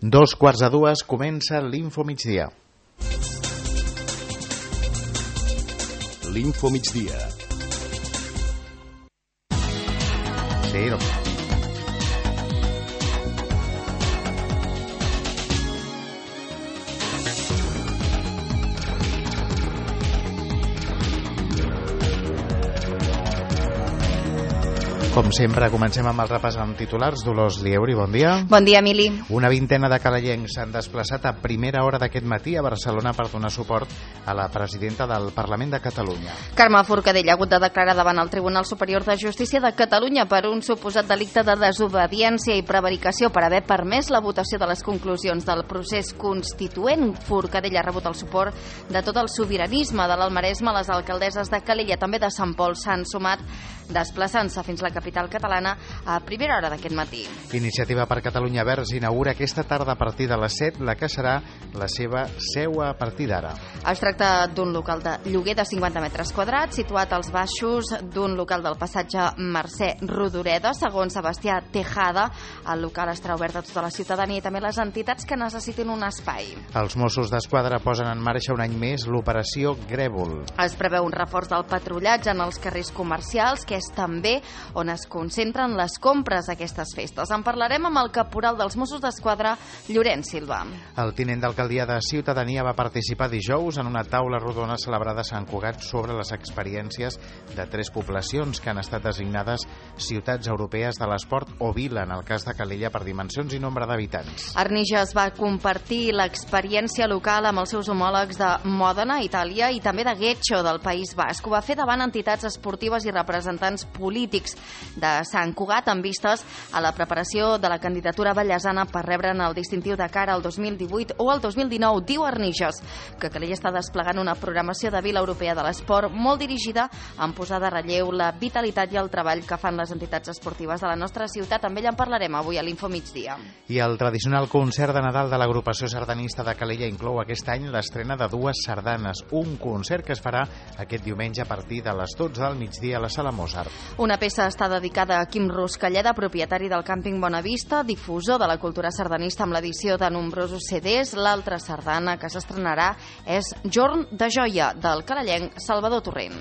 2:15 comença l'Info Migdia. L'Info Migdia. Sí, no. Com sempre, comencem amb el repàs amb titulars. Dolors Lieuri, bon dia. Bon dia, Emili. Una vintena de calayencs s'han desplaçat a primera hora d'aquest matí a Barcelona per donar suport a la presidenta del Parlament de Catalunya. Carme Forcadell ha hagut de declarar davant el Tribunal Superior de Justícia de Catalunya per un suposat delicte de desobediència i prevaricació per haver permès la votació de les conclusions del procés constituent. Forcadell ha rebut el suport de tot el sobiranisme de l'Almaresme. Les alcaldesses de Calella, també de Sant Pol, s'han sumat desplaçant-se fins la capital catalana a primera hora d'aquest matí. Iniciativa per Catalunya Verds inaugura aquesta tarda a partir de les 7 la que serà la seva seu a partir d'ara. Es tracta d'un local de lloguer de 50 metres quadrats situat als baixos d'un local del passatge Mercè Rodoreda. Segons Sebastià Tejada, el local estarà obert a tota la ciutadania i també les entitats que necessitin un espai. Els Mossos d'Esquadra posen en marxa un any més l'operació Grèvol. Es preveu un reforç del patrullatge en els carrers comercials, que és també on es concentren les compres aquestes festes. En parlarem amb el caporal dels Mossos d'Esquadra, Llorenç Silva. El tinent d'alcaldia de Ciutadania va participar dijous en una taula rodona celebrada a Sant Cugat sobre les experiències de 3 poblacions que han estat designades ciutats europees de l'esport o vila, en el cas de Calella, per dimensions i nombre d'habitants. Arnijas va compartir l'experiència local amb els seus homòlegs de Mòdena, Itàlia, i també de Guecho, del País Basc. Ho va fer davant entitats esportives i representants polítics de Sant Cugat amb vistes a la preparació de la candidatura vallesana per rebre'n el distintiu de cara al 2018 o al 2019. Diu Arnijas que Calella està desplegant una programació de Vila Europea de l'Esport molt dirigida en posar de relleu la vitalitat i el treball que fan les entitats esportives de la nostra ciutat. Amb ell en parlarem avui a l'Info Migdia. I el tradicional concert de Nadal de l'agrupació sardanista de Calella inclou aquest any l'estrena de 2 sardanes, un concert que es farà aquest diumenge a partir de les 12 del migdia a la Sala Mozart. Una peça està dedicada a Quim Ruscalleda, propietari del càmping Bonavista, difusor de la cultura sardanista amb l'edició de nombrosos CDs. L'altra sardana que s'estrenarà és Jorn de Joia, del calellenc Salvador Torrent.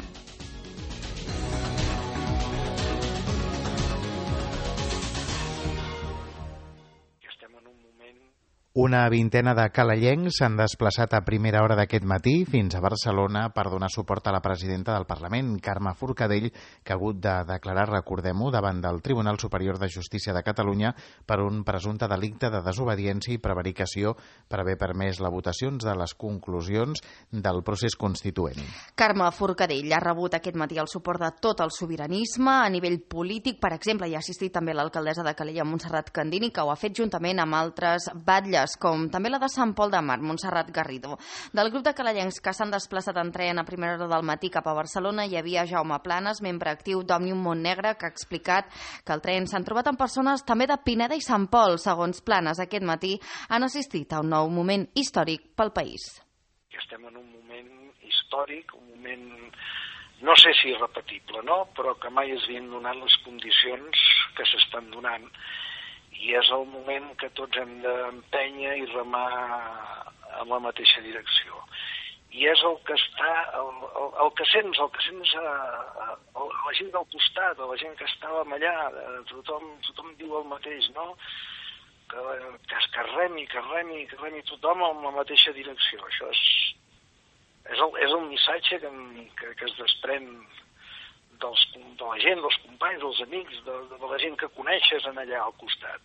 Una vintena de calayencs s'han desplaçat a primera hora d'aquest matí fins a Barcelona per donar suport a la presidenta del Parlament, Carme Forcadell, que ha hagut de declarar, recordem-ho, davant del Tribunal Superior de Justícia de Catalunya per un presumpte delicte de desobediència i prevaricació per haver permès les votacions de les conclusions del procés constituent. Carme Forcadell ha rebut aquest matí el suport de tot el sobiranisme a nivell polític. Per exemple, hi ha assistit també l'alcaldessa de Calella, Montserrat Candini, que ho ha fet juntament amb altres batlles, com també la de Sant Pol de Mar, Montserrat Garrido. Del grup de calellencs que s'han desplaçat en tren a primera hora del matí cap a Barcelona hi havia Jaume Planes, membre actiu d'Òmnium Montnegre, que ha explicat que al tren s'han trobat amb persones també de Pineda i Sant Pol. Segons Planes, aquest matí han assistit a un nou moment històric pel país. Estem en un moment històric, un moment, no sé si irrepetible, no? Però que mai es havien donat les condicions que s'estan donant. I és el moment que tots hem d'empènyer i remar en la mateixa direcció. I és el que està, el que sents la gent del costat, la gent que estàvem allà, tothom diu el mateix, no? Que remi tothom en la mateixa direcció. Això és el missatge que es desprèn de la gent, dels companys, dels amics, de la gent que coneixes en allà al costat.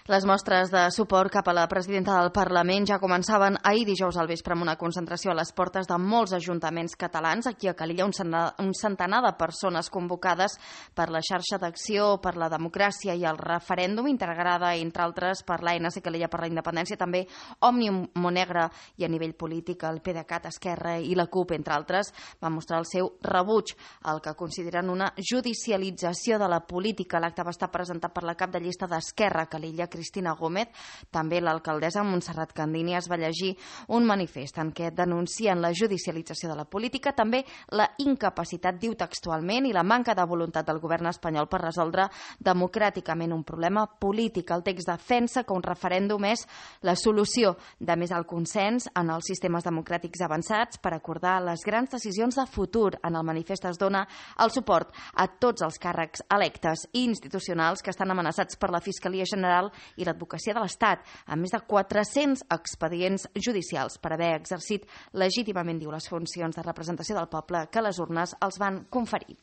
Les mostres de suport cap a la presidenta del Parlament ja començaven ahir dijous al vespre amb una concentració a les portes de molts ajuntaments catalans. Aquí a Calella un centenar de persones convocades per la xarxa d'acció per la democràcia i el referèndum, integrada entre altres per l'ANC Calella per la Independència, també Òmnium Montnegre i a nivell polític el PDeCAT, Esquerra i la CUP, entre altres, van mostrar el seu rebuig al que consideren una judicialització de la política. L'acte va estar presentat per la cap de llista d'Esquerra Calella, Cristina Gómez. També l'alcaldessa Montserrat Candini es va llegir un manifest en què denuncien la judicialització de la política, també la incapacitat, diu textualment, i la manca de voluntat del govern espanyol per resoldre democràticament un problema polític. El text defensa que un referèndum és la solució de més alt consens en els sistemes democràtics avançats per acordar les grans decisions de futur. En el manifest es dona el suport a tots els càrrecs electes i institucionals que estan amenaçats per la Fiscalia General i l'Advocacia de l'Estat, amb més de 400 expedients judicials per haver exercit legítimament, diu, les funcions de representació del poble que les urnes els van conferir.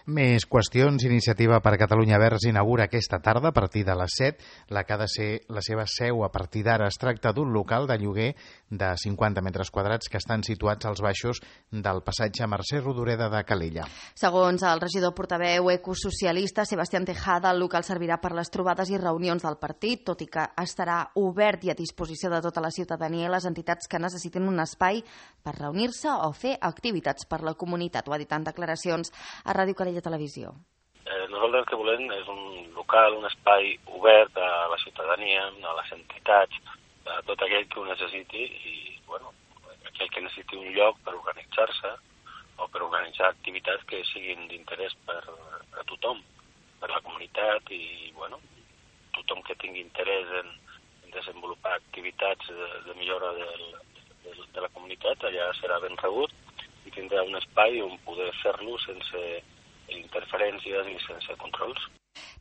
Més qüestions. Iniciativa per Catalunya Verds inaugura aquesta tarda a partir de les 7 la que ha de ser la seva seu a partir d'ara. Es tracta d'un local de lloguer de 50 metres quadrats que estan situats als baixos del passatge Mercè Rodoreda de Calella. Segons el regidor portaveu ecosocialista Sebastián Tejada, el local servirà per les trobades i reunions del partit, tot i que estarà obert i a disposició de tota la ciutadania i les entitats que necessitin un espai per reunir-se o fer activitats per la comunitat. Ho ha dit en declaracions a Ràdio Calella Televisió. Nosaltres el que volem és un local, un espai obert a la ciutadania, a les entitats, a tot aquell que ho necessiti i, aquell que necessiti un lloc per organitzar-se o per organitzar activitats que siguin d'interès per a tothom, per la comunitat i, tothom que tingui interès en desenvolupar activitats de millora de la comunitat, allà serà ben rebut i tindrà un espai on poder fer-lo sense interferències i sense controls.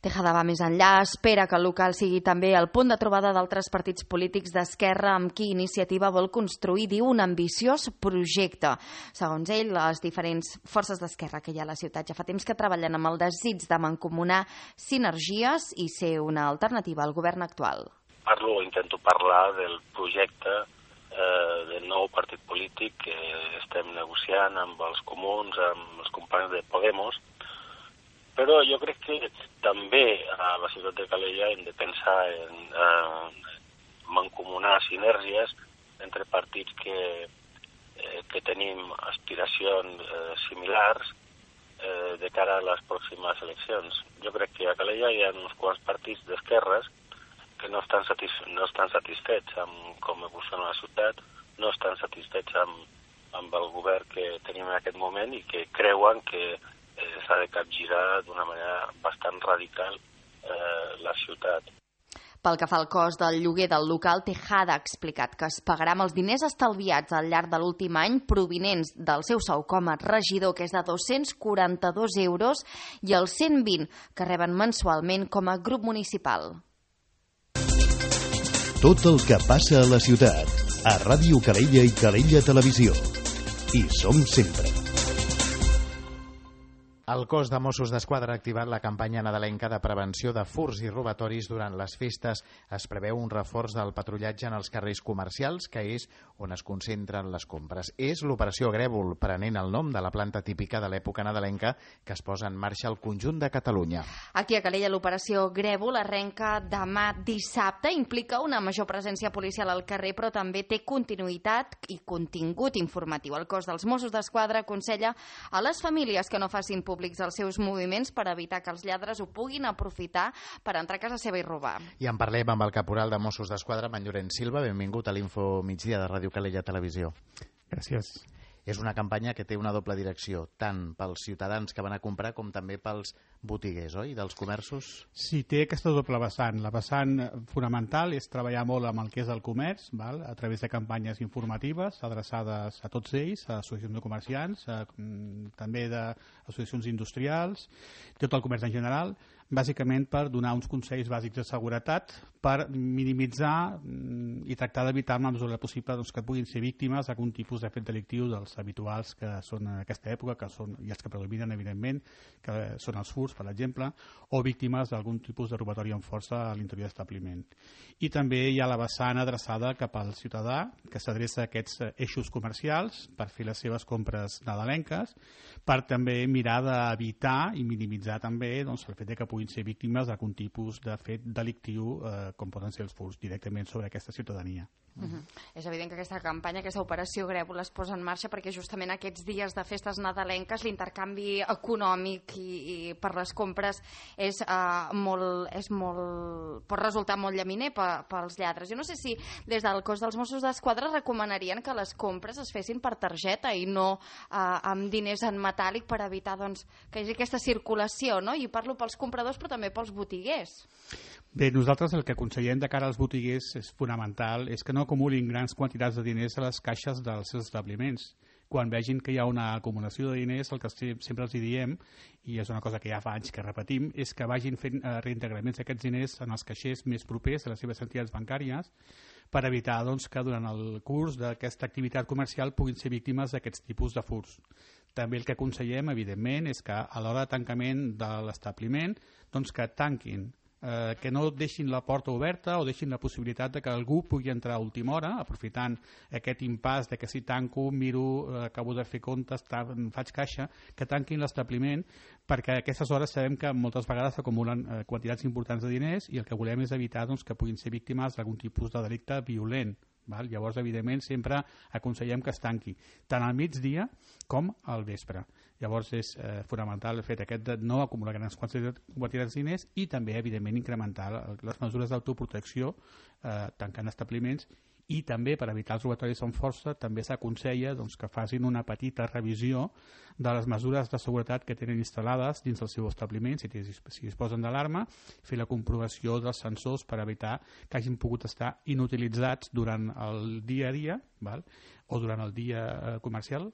Tejada va més enllà, espera que el local sigui també el punt de trobada d'altres partits polítics d'esquerra amb qui Iniciativa vol construir, diu, un ambiciós projecte. Segons ell, les diferents forces d'esquerra que hi ha a la ciutat ja fa temps que treballen amb el desig de mancomunar sinergies i ser una alternativa al govern actual. Intento parlar del projecte del nou partit polític que estem negociant amb els comuns, amb els companys de Podemos, però jo crec que també a la ciutat de Calella hem de pensar en mancomunar sinergies entre partits que tenim aspiracions similars de cara a les pròximes eleccions. Jo crec que a Calella hi ha uns quants partits d'esquerres que no estan satisfets amb com evoluciona la ciutat, no estan satisfets amb el govern que tenim en aquest moment i que creuen que s'ha de capgirar d'una manera bastant radical la ciutat. Pel que fa al cost del lloguer del local, Tejada ha explicat que es pagarà amb els diners estalviats al llarg de l'últim any provinents del seu sou com a regidor, que és de 242 euros, i els 120 que reben mensualment com a grup municipal. Tot el que passa a la ciutat, a Ràdio Calella i Calella Televisió. Hi som sempre. El cos de Mossos d'Esquadra ha activat la campanya nadalenca de prevenció de furts i robatoris durant les festes. Es preveu un reforç del patrullatge en els carrers comercials, que és on es concentren les compres. És l'operació Grèvol, prenent el nom de la planta típica de l'època nadalenca que es posa en marxa al conjunt de Catalunya. Aquí a Calella l'operació Grèvol arrenca demà dissabte, implica una major presència policial al carrer, però també té continuïtat i contingut informatiu. El cos dels Mossos d'Esquadra aconsella a les famílies que no facin públics els seus moviments per evitar que els lladres ho puguin aprofitar per entrar a casa seva i robar. I en parlem amb el caporal de Mossos d'Esquadra, en Llorenç Silva. Benvingut a l'Info Migdia de Ràdio Calella Televisió. Gràcies. És una campanya que té una doble direcció, tant pels ciutadans que van a comprar com també pels botiguers, oi? Dels comerços? Sí, té aquesta doble vessant. La vessant fonamental és treballar molt amb el que és el comerç, val? A través de campanyes informatives adreçades a tots ells, a associacions de comerciants, també d'associacions industrials, tot el comerç en general, bàsicament per donar uns consells bàsics de seguretat, per minimitzar i tractar d'evitar en la mesura possible que puguin ser víctimes d'algun tipus de fet delictiu dels habituals que són en aquesta època, que són i els que predominen, evidentment, que són els furts, per exemple, o víctimes d'algun tipus de robatori amb força a l'interior d'establiment. I també hi ha la vessant adreçada cap al ciutadà, que s'adreça a aquests eixos comercials per fer les seves compres nadalenques, per també mirar d'evitar i minimitzar també el fet que puguin ser víctimes d'algun tipus de fet delictiu com poden ser els furts directament sobre aquesta ciutadania. ciutadania. És evident que aquesta campanya, aquesta operació Grèvol es posa en marxa perquè justament aquests dies de festes nadalenques l'intercanvi econòmic i per les compres pot resultar molt llaminer pels lladres. Jo no sé si des del cos dels Mossos d'Esquadra recomanarien que les compres es fessin per targeta i no amb diners en metàl·lic per evitar que hi hagi aquesta circulació, no? I parlo pels compradors però també pels botiguers. Bé, nosaltres el que aconsellem de cara als botiguers és fonamental, és que no acumulin grans quantitats de diners a les caixes dels seus establiments. Quan vegin que hi ha una acumulació de diners, el que sempre els diem, i és una cosa que ja fa anys que repetim, és que vagin fent reintegraments d'aquests diners en els caixers més propers a les seves entitats bancàries per evitar que durant el curs d'aquesta activitat comercial puguin ser víctimes d'aquests tipus de furts. També el que aconsellem, evidentment, és que a l'hora de tancament de l'establiment, que tanquin, que no deixin la porta oberta o deixin la possibilitat de que algú pugui entrar a última hora, aprofitant aquest impàs de que si tanco, miro, acabo de fer comptes, faig caixa, que tanquin l'establiment, perquè a aquestes hores sabem que moltes vegades s'acumulen quantitats importants de diners i el que volem és evitar que puguin ser víctimes d'algun tipus de delicte violent. Llavors, evidentment, sempre aconsellem que es tanqui, tant al migdia com al vespre. Llavors, és fonamental el fet aquest de no acumular grans quantitats de diners i també, evidentment, incrementar les mesures d'autoprotecció tancant establiments i també, per evitar els robatoris amb força, també s'aconsella que facin una petita revisió de les mesures de seguretat que tenen instal·lades dins del seu establiment, si disposen d'alarma, fer la comprovació dels sensors per evitar que hagin pogut estar inutilitzats durant el dia a dia o durant el dia comercial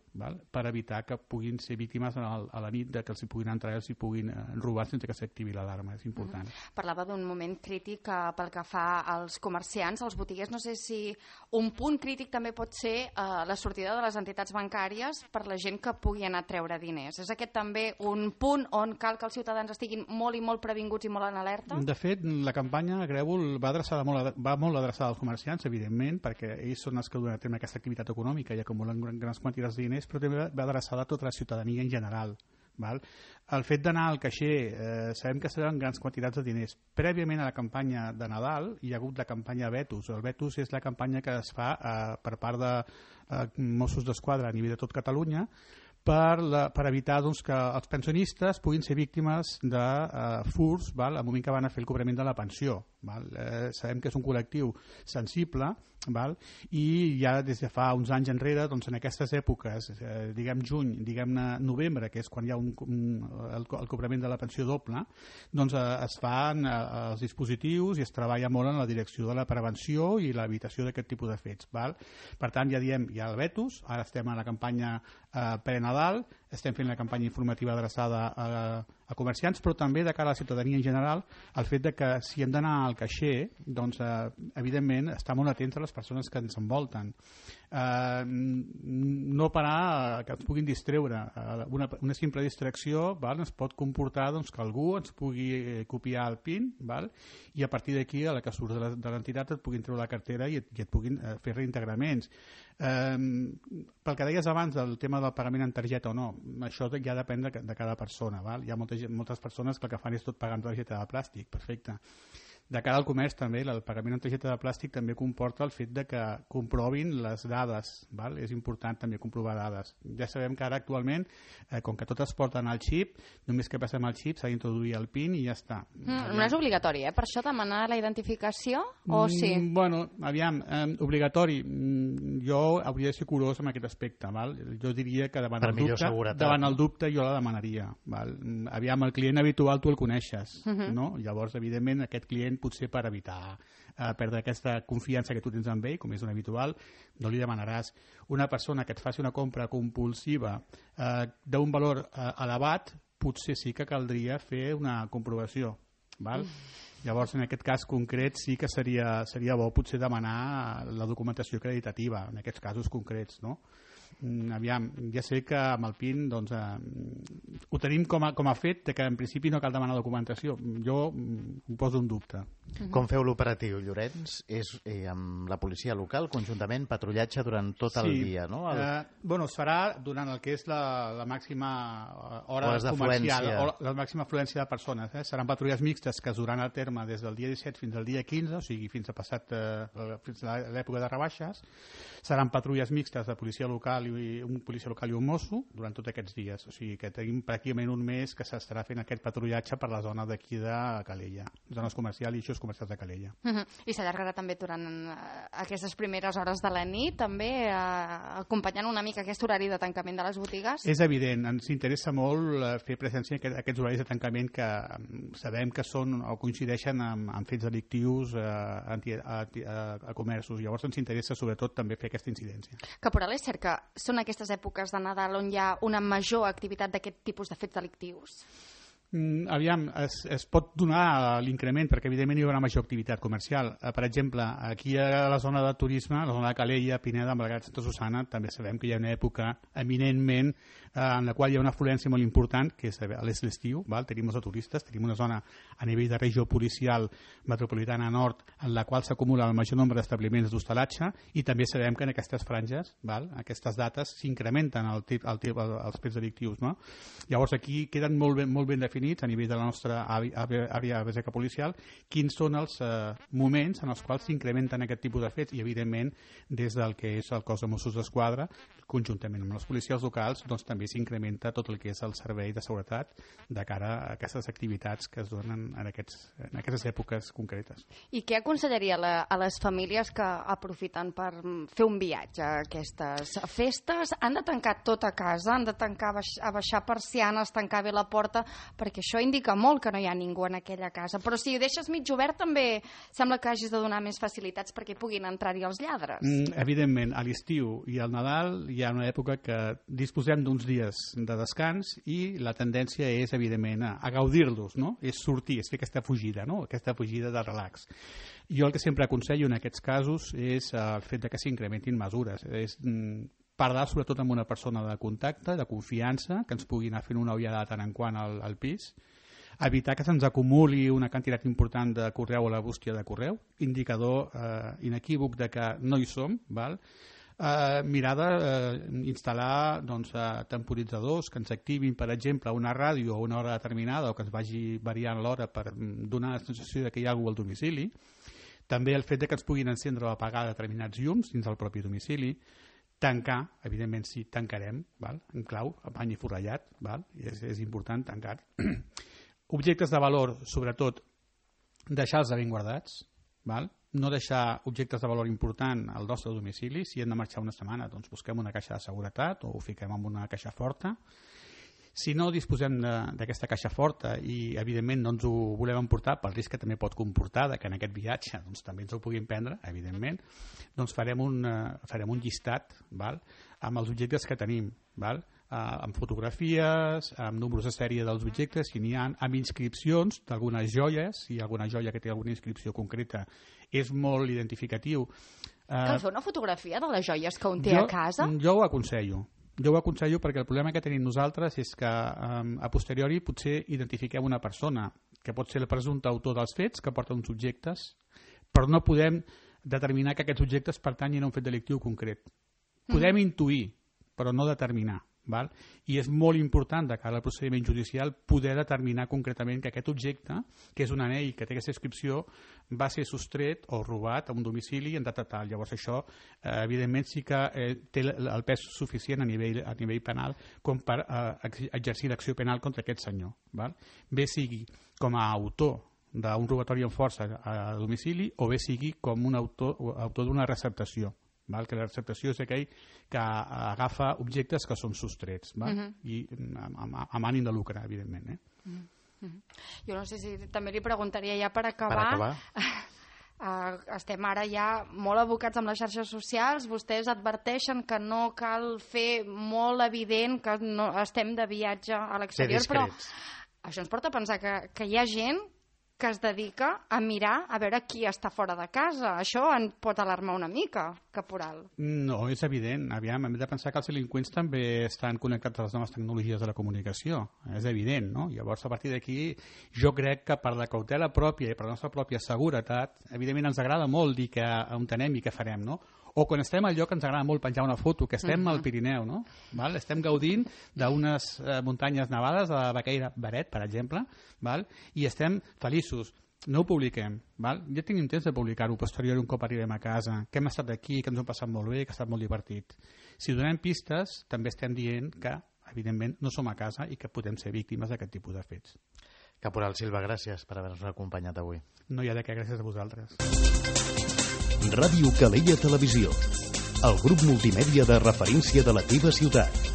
per evitar que puguin ser víctimes a la nit de que els hi puguin entrar i els hi puguin robar sense que s'activi l'alarma. És important. Parlava d'un moment crític pel que fa als comerciants, als botiguers. No sé si un punt crític també pot ser la sortida de les entitats bancàries per la gent que pugui anar a treure diners. És aquest també un punt on cal que els ciutadans estiguin molt i molt previnguts i molt en alerta? De fet, la campanya Grèvol va molt adreçada als comerciants, evidentment, perquè ells són els que duen a terme aquesta activitat econòmica i acumulen grans quantitats de diners, però també va adreçada a tota la ciutadania en general. El fet d'anar al caixer, sabem que seran grans quantitats de diners. Prèviament a la campanya de Nadal hi ha hagut la campanya Vetus. El Vetus és la campanya que es fa per part de Mossos d'Esquadra a nivell de tot Catalunya per evitar que els pensionistes puguin ser víctimes de furts al moment que van a fer el cobrament de la pensió. Sabem que és un col·lectiu sensible i ja des de fa uns anys enrere, en aquestes èpoques, diguem juny, diguem novembre, que és quan hi ha el cobrament de la pensió doble, es fan els dispositius i es treballa molt en la direcció de la prevenció i l'evitació d'aquest tipus de fets. Per tant, ja diem, hi ha el Vetus, ara estem a la campanya pre-Nadal, estem fent la campanya informativa adreçada a comerciants, però també de cara a la ciutadania en general, el fet de que si hem d'anar al caixer, evidentment, estar molt atents a les persones que ens envolten. No parar que ens puguin distreure. Una simple distracció ens pot comportar que algú ens pugui copiar el PIN i a partir d'aquí, a la que surts de l'entitat, et puguin treure la cartera i et puguin fer reintegraments. Pel que deies abans del tema del pagament en targeta o no, això ja depèn de cada persona. Hi ha moltes persones que el que fan és tot pagant targeta de plàstic, perfecte. De cara al comerç també, el pagament en targeta de plàstic també comporta el fet de que comprovin les dades. És important també comprovar dades. Ja sabem que ara actualment, com que totes porten el xip, només que passem el xip s'ha d'introduir el PIN i ja està. No és obligatori, per això demanar la identificació o sí? Obligatori. Jo hauria de ser curós en aquest aspecte. Jo diria que davant el dubte jo la demanaria. El client habitual tu el coneixes. Llavors, evidentment, aquest client potser per evitar perdre aquesta confiança que tu tens en ell, com és un habitual, no li demanaràs. Una persona que et faci una compra compulsiva d'un valor elevat, potser sí que caldria fer una comprovació. Llavors, en aquest cas concret, sí que seria bo potser demanar la documentació acreditativa, en aquests casos concrets, no? Ja sé que amb el PIN ho tenim com a fet que en principi no cal demanar documentació. Jo ho poso en dubte. Com feu l'operatiu, Llorenç? És amb la policia local, conjuntament, patrullatge durant tot el dia, no? Es farà durant el que és la màxima hora comercial, o la màxima afluència de persones. Seran patrulles mixtes que es duran a terme informe des del dia 17 fins al dia 15, o sigui, fins a l'època de rebaixes. Seran patrulles mixtes de policia local i un policia local i un mosso durant tots aquests dies. O sigui que tenim pràcticament un mes que s'estarà fent aquest patrullatge per la zona d'aquí de Calella, zones comercials i eixos comercials de Calella. I s'allargarà també durant aquestes primeres hores de la nit, també acompanyant una mica aquest horari de tancament de les botigues? És evident, ens interessa molt fer presència en aquests horaris de tancament que sabem que són o coincideixen amb fets delictius a comerços. Llavors ens interessa sobretot també fer aquesta incidència. Caporal, és cert que són aquestes èpoques de Nadal on hi ha una major activitat d'aquest tipus de fets delictius? Aviam, es pot donar l'increment perquè evidentment hi haurà major activitat comercial. Per exemple, aquí a la zona de turisme, la zona de Calella, Pineda, Malgrat, Santa Susana, també sabem que hi ha una època eminentment en la qual hi ha una afluència molt important, que és l'estiu, tenim molts turistes, tenim una zona a nivell de regió policial metropolitana nord en la qual s'acumula el major nombre d'establiments d'hostalatge i també sabem que en aquestes franges, aquestes dates, s'incrementen els fets delictius. No? Llavors aquí queden molt ben definits a nivell de la nostra àrea bàsica policial quins són els moments en els quals s'incrementen aquest tipus de fets i evidentment des del que és el cos de Mossos d'Esquadra conjuntament amb les policies locals doncs també s'incrementa tot el que és el servei de seguretat de cara a aquestes activitats que es donen en aquestes èpoques concretes. I què aconsellaria a les famílies que aprofiten per fer un viatge a aquestes festes? Han de tancar tot a casa? Han de tancar, abaixar persianes, tancar bé la porta? Perquè això indica molt que no hi ha ningú en aquella casa. Però si ho deixes mig obert també sembla que hagis de donar més facilitats perquè puguin entrar-hi els lladres. Evidentment, a l'estiu i al Nadal hi ha una època que disposem d'uns dies de descans i la tendència és, evidentment, a gaudir-los, no? És sortir, és fer aquesta fugida, no? Aquesta fugida de relax. Jo el que sempre aconsello en aquests casos és el fet que s'incrementin mesures. És parlar sobretot amb una persona de contacte, de confiança, que ens pugui anar fent una ullada de tant en quant al pis, evitar que se'ns acumuli una quantitat important de correu a la bústia de correu, indicador inequívoc de que no hi som, val? Mirar d'instal·lar temporitzadors que ens activin, per exemple, una ràdio a una hora determinada o que ens vagi variant l'hora per donar la sensació que hi ha algú al domicili. També el fet que ens puguin encendre o apagar determinats llums dins del propi domicili. Tancar, evidentment sí, tancarem, en clau, a bany i forrellat, és important tancar. Objectes de valor, sobretot, deixar-los ben guardats, no deixar objectes de valor important al nostre domicili. Si hem de marxar una setmana, doncs busquem una caixa de seguretat o ho fiquem en una caixa forta. Si no disposem d'aquesta caixa forta i evidentment no ens ho volem emportar pel risc que també pot comportar que en aquest viatge doncs, també ens ho puguin prendre, evidentment, doncs farem un llistat amb els objectes que tenim, amb fotografies, amb números de sèrie dels objectes, si n'hi ha, amb inscripcions d'algunes joies, si hi ha alguna joia que té alguna inscripció concreta, és molt identificatiu. Cal fer una fotografia de les joies que un té a casa? Jo ho aconsello. Jo ho aconsello perquè el problema que tenim nosaltres és que a posteriori potser identifiquem una persona que pot ser el presumpte autor dels fets, que porta uns objectes, però no podem determinar que aquests objectes pertanyin a un fet delictiu concret. Podem intuir, però no determinar. I és molt important de cara al procediment judicial poder determinar concretament que aquest objecte, que és un anell que té aquesta inscripció, va ser sostret o robat a un domicili en data tal. Llavors això, evidentment, sí que té el pes suficient a nivell penal com per exercir l'acció penal contra aquest senyor. Bé sigui com a autor d'un robatori amb força a domicili o bé sigui com un autor d'una receptació. Que la receptació és aquell que agafa objectes que són sostrets i amb ànim de lucre, evidentment. Jo no sé si també li preguntaria ja per acabar. Estem ara ja molt abocats amb les xarxes socials. Vostès adverteixen que no cal fer molt evident que no estem de viatge a l'exterior, però això ens porta a pensar que hi ha gent que es dedica a mirar a veure qui està fora de casa. Això en pot alarmar una mica, caporal. No, és evident. Aviam, hem de pensar que els delinqüents també estan connectats a les noves tecnologies de la comunicació. És evident, no? Llavors, a partir d'aquí, jo crec que per la cautela pròpia i per la nostra pròpia seguretat, evidentment ens agrada molt dir que on anem i què farem, no? O quan estem al lloc ens agrada molt penjar una foto, que estem al Pirineu, no? Estem gaudint d'unes muntanyes nevades, de la Baqueira Beret, per exemple, i estem feliços. no ho publiquem, val? Ja tinc temps de publicar-ho posterior un cop arribem a casa, que hem estat aquí, que ens ho hem passat molt bé, que ha estat molt divertit. Si donem pistes, també estem dient que, evidentment, no som a casa i que podem ser víctimes d'aquest tipus de fets. Caporal Silva, gràcies per haver-nos acompanyat avui. No hi ha de què, gràcies a vosaltres. Ràdio Calella Televisió, el grup multimèdia de referència de la teva ciutat.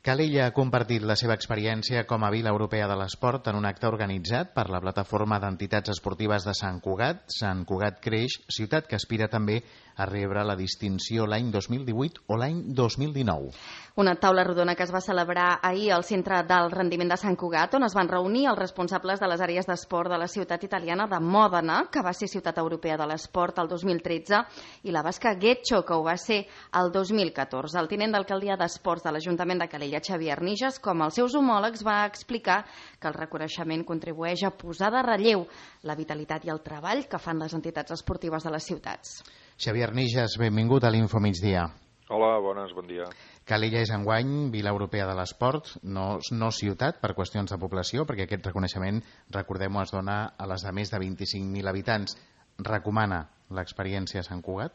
Calella ha compartit la seva experiència com a Vila Europea de l'Esport en un acte organitzat per la plataforma d'entitats esportives de Sant Cugat. Sant Cugat Creix, ciutat que aspira també a rebre la distinció l'any 2018 o l'any 2019. Una taula rodona que es va celebrar ahir al Centre del Rendiment de Sant Cugat, on es van reunir els responsables de les àrees d'esport de la ciutat italiana de Mòdena, que va ser ciutat europea de l'esport el 2013, i la basca Getxo, que ho va ser el 2014. El tinent d'alcaldia d'Esports de l'Ajuntament de Calella, Xavier Arnijas, com els seus homòlegs, va explicar que el reconeixement contribueix a posar de relleu la vitalitat i el treball que fan les entitats esportives de les ciutats. Xavier Arnijas, benvingut a l'Info Migdia. Hola, bones, bon dia. Calella és enguany Vila Europea de l'Esport, no ciutat per qüestions de població, perquè aquest reconeixement, recordem-ho, es dona a les de més de 25.000 habitants. Recomana l'experiència a Sant Cugat?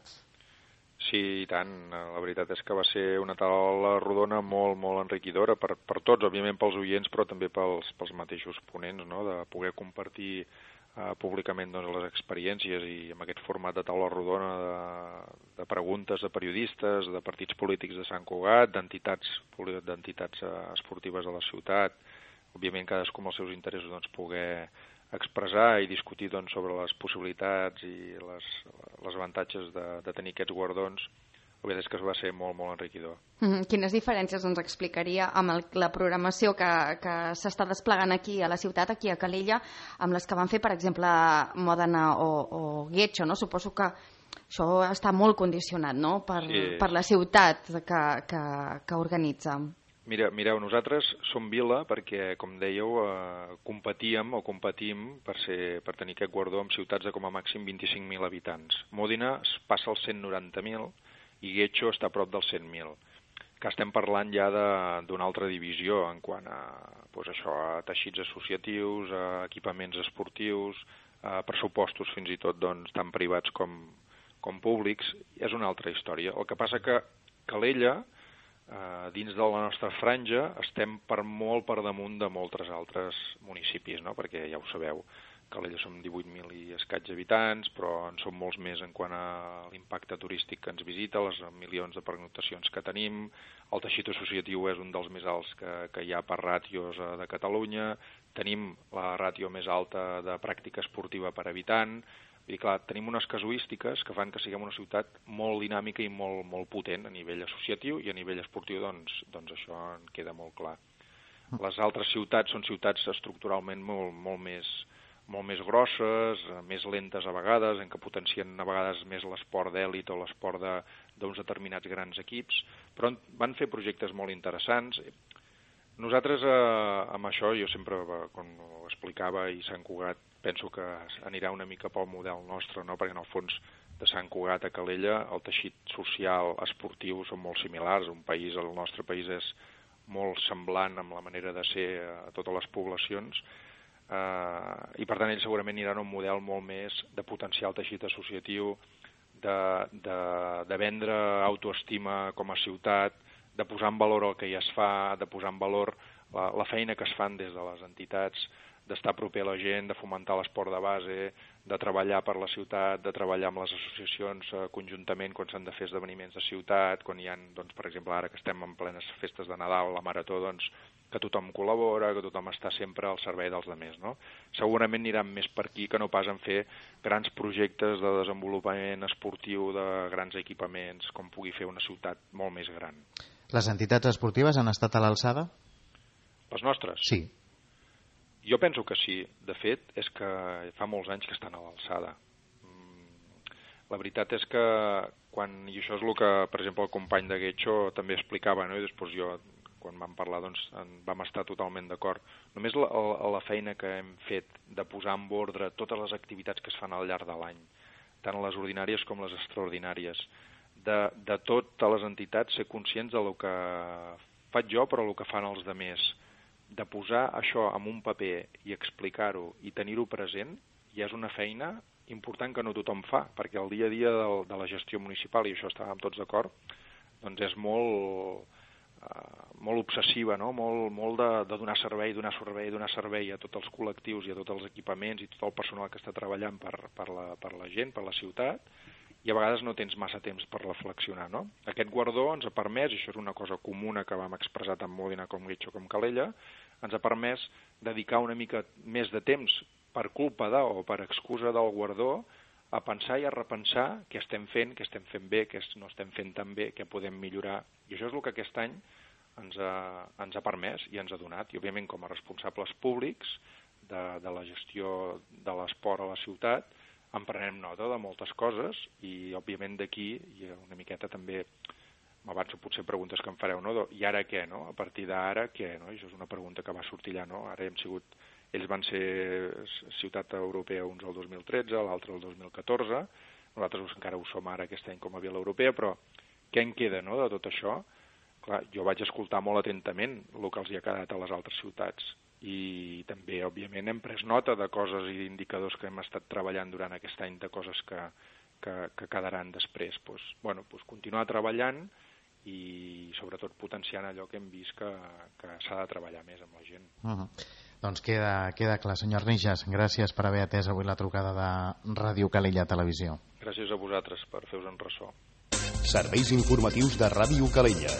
Sí, i tant. La veritat és que va ser una taula rodona molt, molt enriquidora per tots, òbviament pels oients, però també pels mateixos ponents, no? De poder compartir públicament doncs, les experiències i amb aquest format de taula rodona de preguntes de periodistes, de partits polítics de Sant Cugat, d'entitats esportives de la ciutat, òbviament cadascú amb els seus interessos doncs, poder expressar i discutir doncs, sobre les possibilitats i les avantatges de tenir aquests guardons. La veritat és que va ser molt, molt enriquidor. Quines diferències ens explicaria amb la programació que s'està desplegant aquí a la ciutat, aquí a Calella, amb les que van fer, per exemple, Mòdena o Getxo, no? Suposo que això està molt condicionat, no?, per la ciutat que organitza. Mireu, nosaltres som vila perquè, com dèieu, competim per tenir aquest guardó amb ciutats de com a màxim 25.000 habitants. Mòdena passa als 190.000 i Getxo està a prop dels 100.000, que estem parlant ja d'una altra divisió en quant a, a teixits associatius, a equipaments esportius, a pressupostos fins i tot doncs, tant privats com públics. És una altra història. El que passa que Calella, dins de la nostra franja, estem molt per damunt de molts altres municipis, no? Perquè ja ho sabeu, Calella som 18.000 i escaig habitants, però en som molts més en quant a l'impacte turístic que ens visita, les milions de pernoctacions que tenim, el teixit associatiu és un dels més alts que hi ha per ràtios de Catalunya, tenim la ràtio més alta de pràctica esportiva per habitant, vull dir, clar, tenim unes casuístiques que fan que siguem una ciutat molt dinàmica i molt potent a nivell associatiu i a nivell esportiu, doncs això en queda molt clar. Les altres ciutats són ciutats estructuralment molt més grosses, més lentes a vegades, en què potencien a vegades més l'esport d'èlit o l'esport d'uns determinats grans equips, però van fer projectes molt interessants. Nosaltres, amb això, jo sempre, quan ho explicava, i Sant Cugat, penso que anirà una mica pel model nostre, no? Perquè en el fons de Sant Cugat a Calella el teixit social, esportiu, són molt similars. El nostre país és molt semblant amb la manera de ser a totes les poblacions, i per tant ells segurament aniran a un model molt més de potenciar el teixit associatiu, de vendre autoestima com a ciutat, de posar en valor el que ja es fa, de posar en valor la feina que es fan des de les entitats, d'estar proper a la gent, de fomentar l'esport de base, de treballar per la ciutat, de treballar amb les associacions conjuntament quan s'han de fer esdeveniments de ciutat, quan hi ha, doncs, per exemple, ara que estem en plenes festes de Nadal, la Marató, doncs, que tothom col·labora, que tothom està sempre al servei dels altres, no? Segurament aniran més per aquí que no pas en fer grans projectes de desenvolupament esportiu de grans equipaments, com pugui fer una ciutat molt més gran. Les entitats esportives han estat a l'alçada? Les nostres? Sí. Jo penso que sí. De fet, és que fa molts anys que estan a l'alçada. La veritat és que i això és el que, per exemple, el company de Getxo també explicava, no? I després jo, quan vam parlar, doncs, vam estar totalment d'acord. Només la feina que hem fet de posar en ordre totes les activitats que es fan al llarg de l'any, tant les ordinàries com les extraordinàries, de totes les entitats ser conscients del que faig jo, però el que fan els altres, de posar això en un paper i explicar-ho i tenir-ho present ja és una feina important que no tothom fa, perquè el dia a dia de la gestió municipal, i això estàvem tots d'acord, doncs és molt obsessiva, no? Molt de donar servei a tots els col·lectius i a tots els equipaments i tot el personal que està treballant per la gent, per la ciutat, i a vegades no tens massa temps per reflexionar, no? Aquest guardó ens ha permès, i això és una cosa comuna que vam expressar tant Mòdena com Guitxo com Calella, ens ha permès dedicar una mica més de temps per culpa o per excusa del guardó a pensar i a repensar què estem fent bé, què no estem fent tan bé, què podem millorar. I això és el que aquest any ens ha permès i ens ha donat. I, òbviament, com a responsables públics de la gestió de l'esport a la ciutat, en prenem nota de moltes coses i, òbviament, d'aquí, i una miqueta també, m'avanço potser preguntes que em fareu, no? I ara què, no? A partir d'ara què, no? I això és una pregunta que va sortir allà, no? Ara ells van ser ciutat europea uns el 2013, l'altre el 2014, nosaltres encara ho som ara aquest any com a Vila Europea, però què en queda, no?, de tot això? Clar, jo vaig escoltar molt atentament el que els hi ha quedat a les altres ciutats i també, òbviament, hem pres nota de coses i d'indicadors que hem estat treballant durant aquest any, de coses que quedaran després. Continuar treballant i, sobretot, potenciant allò que hem vist que s'ha de treballar més amb la gent. Doncs queda clar. Senyor Arnijas, gràcies per haver atès avui la trucada de Ràdio Calella Televisió. Gràcies a vosaltres per fer-vos en ressò. Serveis informatius de Ràdio Calella.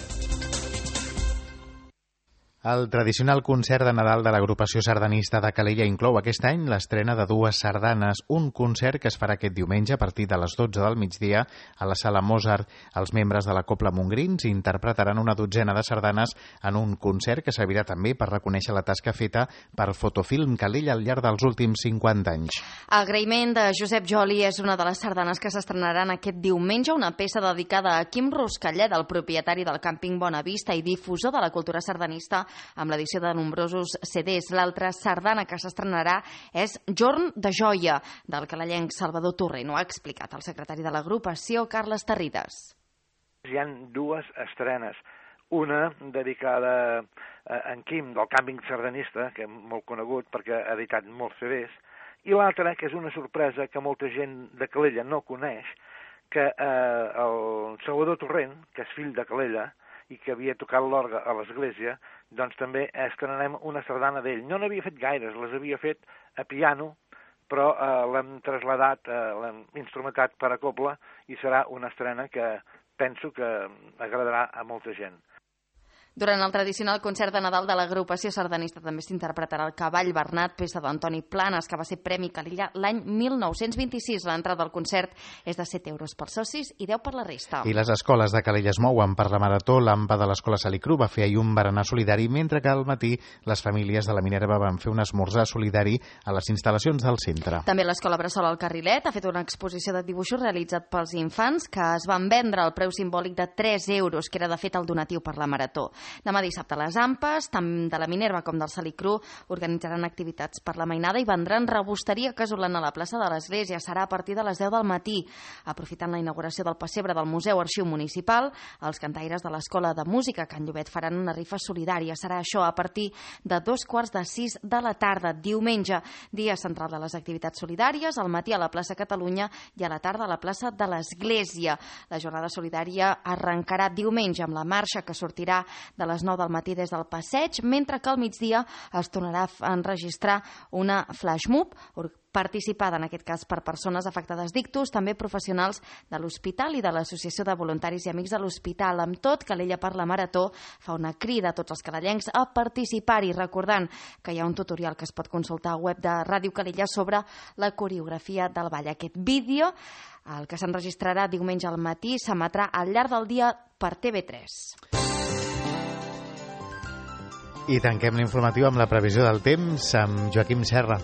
El tradicional concert de Nadal de l'agrupació sardanista de Calella inclou aquest any l'estrena de 2 sardanes, un concert que es farà aquest diumenge a partir de les 12 del migdia a la Sala Mozart. Els membres de la Cobla Montgrins interpretaran una dotzena de sardanes en un concert que servirà també per reconèixer la tasca feta per Fotofilm Calella al llarg dels últims 50 anys. Agraïment de Josep Joli és una de les sardanes que s'estrenaran aquest diumenge, una peça dedicada a Quim Ruscallet, el propietari del càmping Bonavista i difusor de la cultura sardanista, amb l'edició de nombrosos CDs. L'altra sardana que s'estrenarà és Jorn de Joia, del calellenc Salvador Torrent. Ho ha explicat el secretari de l'agrupació, Carles Tarrides. Hi ha 2 estrenes. Una dedicada a en Quim, del càmping sardanista, que és molt conegut perquè ha editat molts CDs, i l'altra, que és una sorpresa que molta gent de Calella no coneix, que el Salvador Torrent, que és fill de Calella, i que havia tocat l'orgue a l'església, doncs també estrenarem una sardana d'ell. No n'havia fet gaires, les havia fet a piano, però l'hem trasladat, l'hem instrumentat per a cobla i serà una estrena que penso que agradarà a molta gent. Durant el tradicional concert de Nadal de l'agrupació sardanista també s'interpretarà el Cavall Bernat, peça d'Antoni Planes, que va ser Premi Calella l'any 1926. L'entrada al concert és de 7 euros pels socis i 10 per la resta. I les escoles de Calella es mouen per la marató. L'AMPA de l'Escola Salicru va fer ahir un berenar solidari, mentre que al matí les famílies de la Minerva van fer un esmorzar solidari a les instal·lacions del centre. També l'Escola Bressol al Carrilet ha fet una exposició de dibuixos realitzat pels infants que es van vendre al preu simbòlic de 3 euros, que era de fet el donatiu per la marató. Demà dissabte les AMPAs, tant de la Minerva com del Salicru, organitzaran activitats per la mainada i vendran rebosteria casolana a la plaça de l'Església. Serà a partir de les 10 del matí. Aprofitant la inauguració del pessebre del Museu Arxiu Municipal, els cantaires de l'Escola de Música Can Llobet faran una rifa solidària. Serà això a partir de 5:45 de la tarda. Diumenge, dia central de les activitats solidàries, al matí a la plaça Catalunya i a la tarda a la plaça de l'Església. La jornada solidària arrencarà diumenge amb la marxa que sortirà de les 9 del matí des del passeig, mentre que al migdia es tornarà a enregistrar una flash mob participada en aquest cas per persones afectades d'ictus, també professionals de l'hospital i de l'Associació de Voluntaris i Amics de l'Hospital. Amb tot, Calella per la Marató fa una crida a tots els calellencs a participar-hi, recordant que hi ha un tutorial que es pot consultar al web de Ràdio Calella sobre la coreografia del ball. Aquest vídeo, el que s'enregistrarà diumenge al matí, s'emetrà al llarg del dia per TV3. I tanquem l'informatiu amb la previsió del temps amb Joaquim Serra.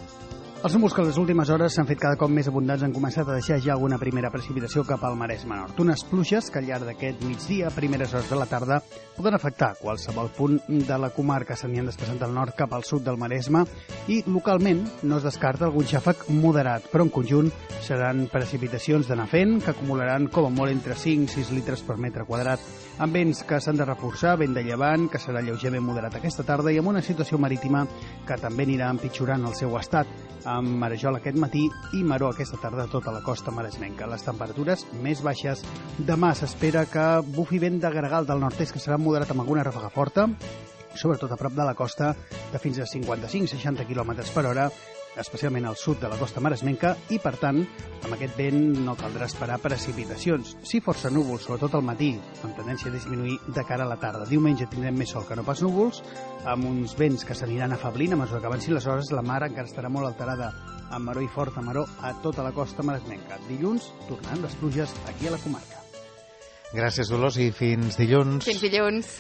Els núvols que en les últimes hores s'han fet cada cop més abundants han començat a deixar ja alguna primera precipitació cap al Maresme Nord. Unes pluges que al llarg d'aquest migdia, a primeres hores de la tarda, poden afectar qualsevol punt de la comarca. S'anien desplaçant del nord cap al sud del Maresme i localment no es descarta algun xàfec moderat, però en conjunt seran precipitacions d'anar fent que acumularan com a molt entre 5 i 6 litres per metre quadrat, amb vents que s'han de reforçar, vent de llevant, que serà lleugerament moderat aquesta tarda i amb una situació marítima que també anirà empitjorant el seu estat, amb marejol aquest matí i maró aquesta tarda a tota la costa maresmenca. Les temperatures més baixes. Demà s'espera que bufi vent de gregal del nord-est, que serà moderat amb alguna ràfega forta, sobretot a prop de la costa, de fins a 55-60 km per hora, especialment al sud de la costa maresmenca, i, per tant, amb aquest vent no caldrà esperar precipitacions. Sí, força núvols, sobretot al matí, amb tendència a disminuir de cara a la tarda. Diumenge tindrem més sol que no pas núvols, amb uns vents que s'aniran afeblint a mesura que avancin les hores. La mar encara estarà molt alterada, amb maró i forta maró a tota la costa maresmenca. Dilluns tornaran les pluges aquí a la comarca. Gràcies, Dolors, i fins dilluns. Fins dilluns.